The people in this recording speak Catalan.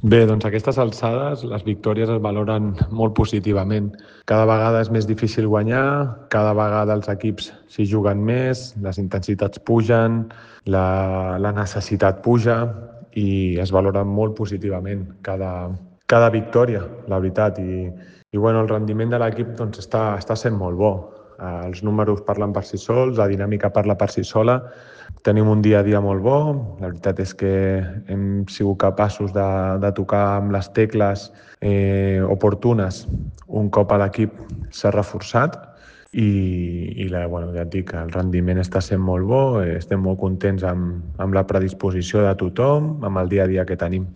Bé, doncs a aquestes alçades les victòries es valoren molt positivament. Cada vegada és més difícil guanyar, cada vegada els equips s'hi juguen més, les intensitats pugen, la necessitat puja i es valora molt positivament cada victòria, la veritat. I bueno, el rendiment de l'equip doncs, està sent molt bo. Els números parlen per si sols, la dinàmica parla per si sola. Tenim un dia a dia molt bo. La veritat és que hem sigut capaços de tocar amb les tecles oportunes un cop a l'equip s'ha reforçat bueno, ja et dic, el rendiment està sent molt bo, estem molt contents amb la predisposició de tothom, amb el dia a dia que tenim.